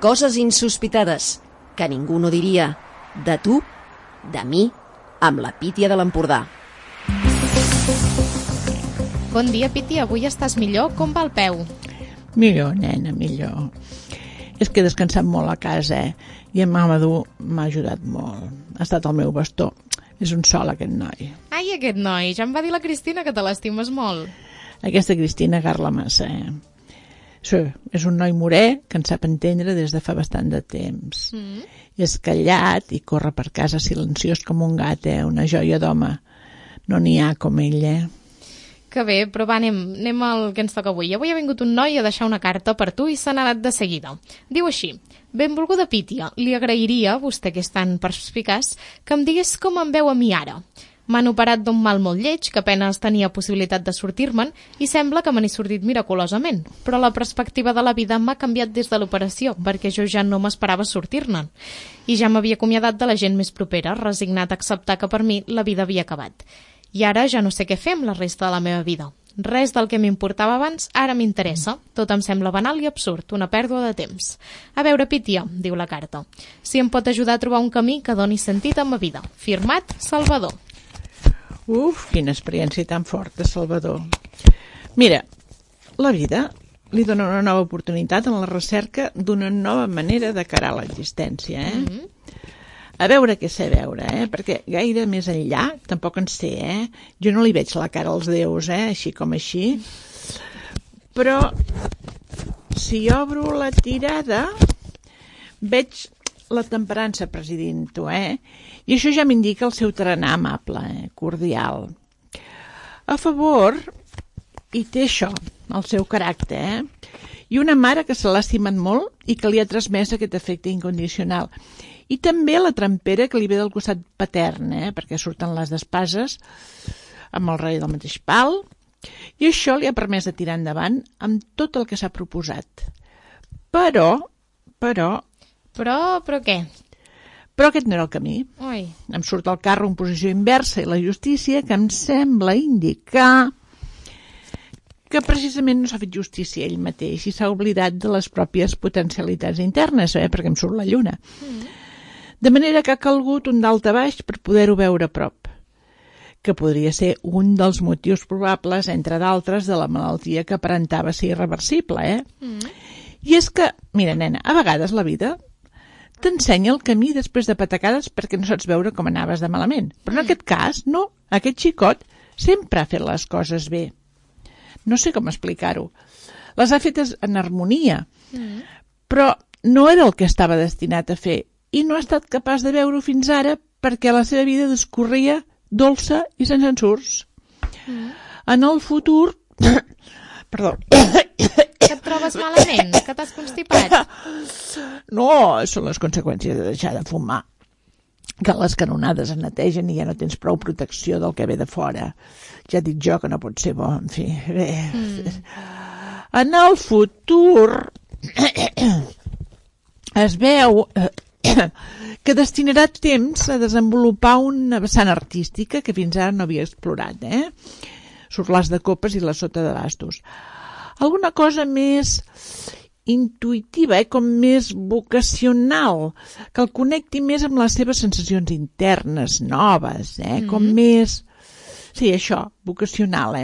Coses insospitades que ningú no diria. De tu, de mi, amb la Pítia de l'Empordà. Bon dia, Pítia. Avui estàs millor? Com va el peu? Millor, nena, millor. És que he descansat molt a casa, i en Mamadou m'ha ajudat molt. Ha estat el meu bastó. És un sol, aquest noi. Ai, aquest noi. Ja em va dir la Cristina que te l'estimes molt. Aquesta Cristina garla massa, Sí, és un noi morè que en sap entendre des de fa bastant de temps. És callat i corre per casa silenciós com un gat, Una joia d'home. No n'hi ha com ell, Que bé, però va, anem al que ens toca avui. Avui ha vingut un noi a deixar una carta per tu i se n'ha anat de seguida. Diu així: benvolguda Pítia, li agrairia, vostè que és tan perspicaç, que em digués com em veu a mi ara. M'han operat d'un mal molt lleig, que apenas tenia possibilitat de sortir-me'n, i sembla que me n'he sortit miraculosament. Però la perspectiva de la vida m'ha canviat des de l'operació, perquè jo ja no m'esperava sortir-ne'n. I ja m'havia acomiadat de la gent més propera, resignat a acceptar que per mi la vida havia acabat. I ara ja no sé què fer amb la resta de la meva vida. Res del que m'importava abans ara m'interessa. Tot em sembla banal i absurd, una pèrdua de temps. A veure, Pítia, diu la carta, si em pot ajudar a trobar un camí que doni sentit a ma vida. Firmat, Salvador. Uf, quina experiència tan forta, Salvador. Mira, la vida li dona una nova oportunitat en la recerca d'una nova manera de carar l'existència, A veure què sé veure, perquè gaire més enllà tampoc en sé, Jo no li veig la cara als déus, així com així. Però si obro la tirada veig la temperança presidint-ho, I això ja m'indica el seu tarannà amable, cordial. A favor, hi té això, el seu caràcter, I una mare que se l'ha estimat molt i que li ha transmès aquest afecte incondicional. I també la trampera que li ve del costat patern, perquè surten les despases amb el rei del mateix pal, i això li ha permès de tirar endavant amb tot el que s'ha proposat. Però què? Però aquest no era el camí. Ui. Em surt el carro en posició inversa i la justícia que em sembla indicar que precisament no s'ha fet justícia ell mateix i s'ha oblidat de les pròpies potencialitats internes, perquè em surt la lluna. De manera que ha calgut un dalt a baix per poder-ho veure a prop, que podria ser un dels motius probables, entre d'altres, de la malaltia que aparentava ser irreversible, I és que, mira, nena, a vegades la vida t'ensenya el camí després de patacades perquè no saps veure com anaves de malament. Però en aquest cas, no. Aquest xicot sempre ha fet les coses bé. No sé com explicar-ho. Les ha fetes en harmonia, però no era el que estava destinat a fer i no ha estat capaç de veure-ho fins ara perquè la seva vida discorria dolça i sense ensurts. En el futur... Perdó. Que et trobes malament? Que t'has constipat? No, són les conseqüències de deixar de fumar. Que les canonades es netegen i ja no tens prou protecció del que ve de fora. Ja dic jo que no pot ser bo, en fi. Bé. En el futur es veu que destinarà temps a desenvolupar una vessant artística que fins ara no havia explorat, Surt l'as de copes i la sota de bastos. Alguna cosa més intuïtiva, com més vocacional, que el connecti més amb les seves sensacions internes, noves, com més... Sí, això, vocacional,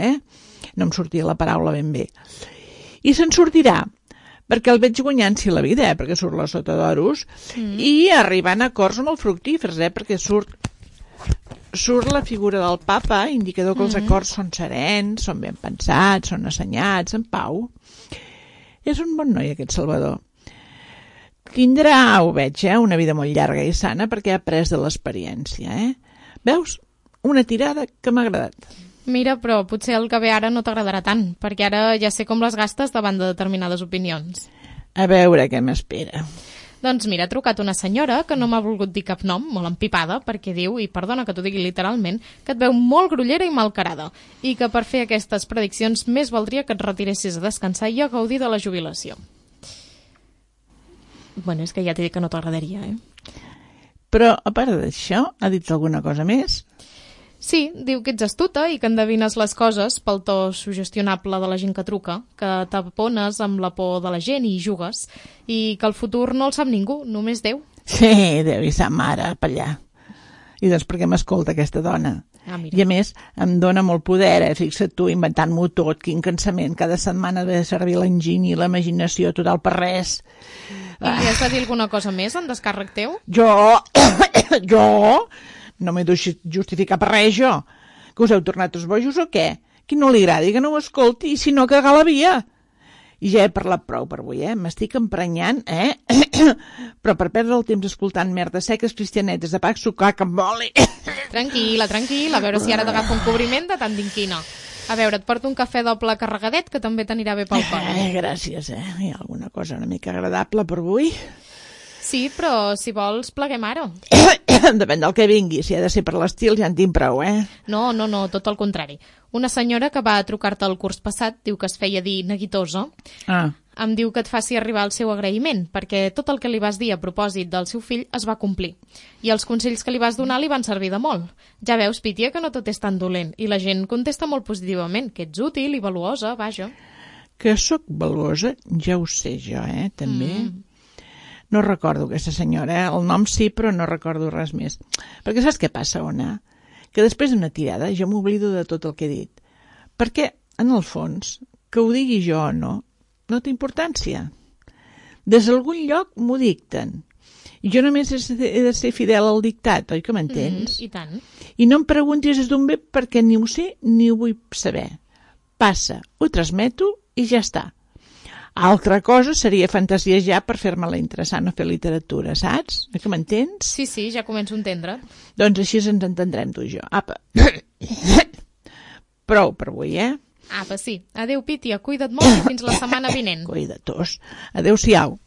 No em sortia la paraula ben bé. I se'n sortirà, perquè el veig guanyant-s'hi la vida, perquè surt la sota d'oros, i arribant a acords molt fructífers, perquè surt la figura del papa, indicador que els acords són serens, són ben pensats, són assenyats, en pau. És un bon noi, aquest Salvador. Tindrà, ho veig, una vida molt llarga i sana perquè ha après de l'experiència, Veus? Una tirada que m'ha agradat. Mira, però potser el que ve ara no t'agradarà tant, perquè ara ja sé com les gastes davant de determinades opinions. A veure què m'espera. Doncs mira, ha trucat una senyora que no m'ha volgut dir cap nom, molt empipada, perquè diu, i perdona que t'ho digui literalment, que et veu molt grollera i malcarada, i que per fer aquestes prediccions més valdria que et retiressis a descansar i a gaudir de la jubilació. Bueno, és que ja t'he dit que no t'agradaria, Però, a part d'això, ha dit alguna cosa més? Sí, diu que ets astuta i que endevines les coses pel to sugestionable de la gent que truca, que t'apones amb la por de la gent i hi jugues, i que el futur no el sap ningú, només Déu. Sí, Déu i sa mare, per allà. I doncs per què m'escolta aquesta dona? Mira. I a més, em dona molt poder, fixa't tu, inventant-m'ho tot, quin cansament, cada setmana de servir l'enginy i l'imaginació total per res. I li has de dir alguna cosa més en descàrrec teu? Jo no m'he de justificar per res, jo. Que us heu tornat els bojos o què? Qui no li agradi que no ho escolti, i si no, cagar la via. I ja he parlat prou per avui, M'estic emprenyant, Però per perdre el temps escoltant merdes seques cristianetes de pa sucar que em voli. Tranquil·la, a veure si ara t'agafa un cobriment de tant d'inquina. A veure, et porto un cafè doble carregadet que també t'anirà bé pel cor. Gràcies, Hi ha alguna cosa una mica agradable per avui? Sí, però si vols pleguem ara. Depèn del que vingui, si ha de ser per l'estil ja en tinc prou, No, tot el contrari. Una senyora que va a trucar-te el curs passat diu que es feia dir neguitosa. Em diu que et faci arribar el seu agraïment, perquè tot el que li vas dir a propòsit del seu fill es va complir. I els consells que li vas donar li van servir de molt. Ja veus, Pítia, que no tot és tan dolent, i la gent contesta molt positivament, que ets útil i valuosa, vaja. Que sóc valuosa, ja ho sé jo, també. No recordo aquesta senyora, el nom sí, però no recordo res més. Perquè saps què passa, Ona? Que després d'una tirada jo m'oblido de tot el que he dit. Perquè, en el fons, que ho digui jo o no té importància. Des d'algun lloc m'ho dicten. I jo només he de ser fidel al dictat, oi que m'entens? I tant. I no em preguntis des d'on ve perquè ni ho sé ni ho vull saber. Passa, ho transmeto i ja està. Altra cosa seria fantasiar per fer-me-la interessant o fer literatura, saps? Que m'entens? Sí, ja començo a entendre. Doncs així ens entendrem tu i jo. Apa. Prou per avui, Apa, sí. Adéu, Pítia, cuida't molt i fins la setmana vinent. Cuida tos. Adéu-siau.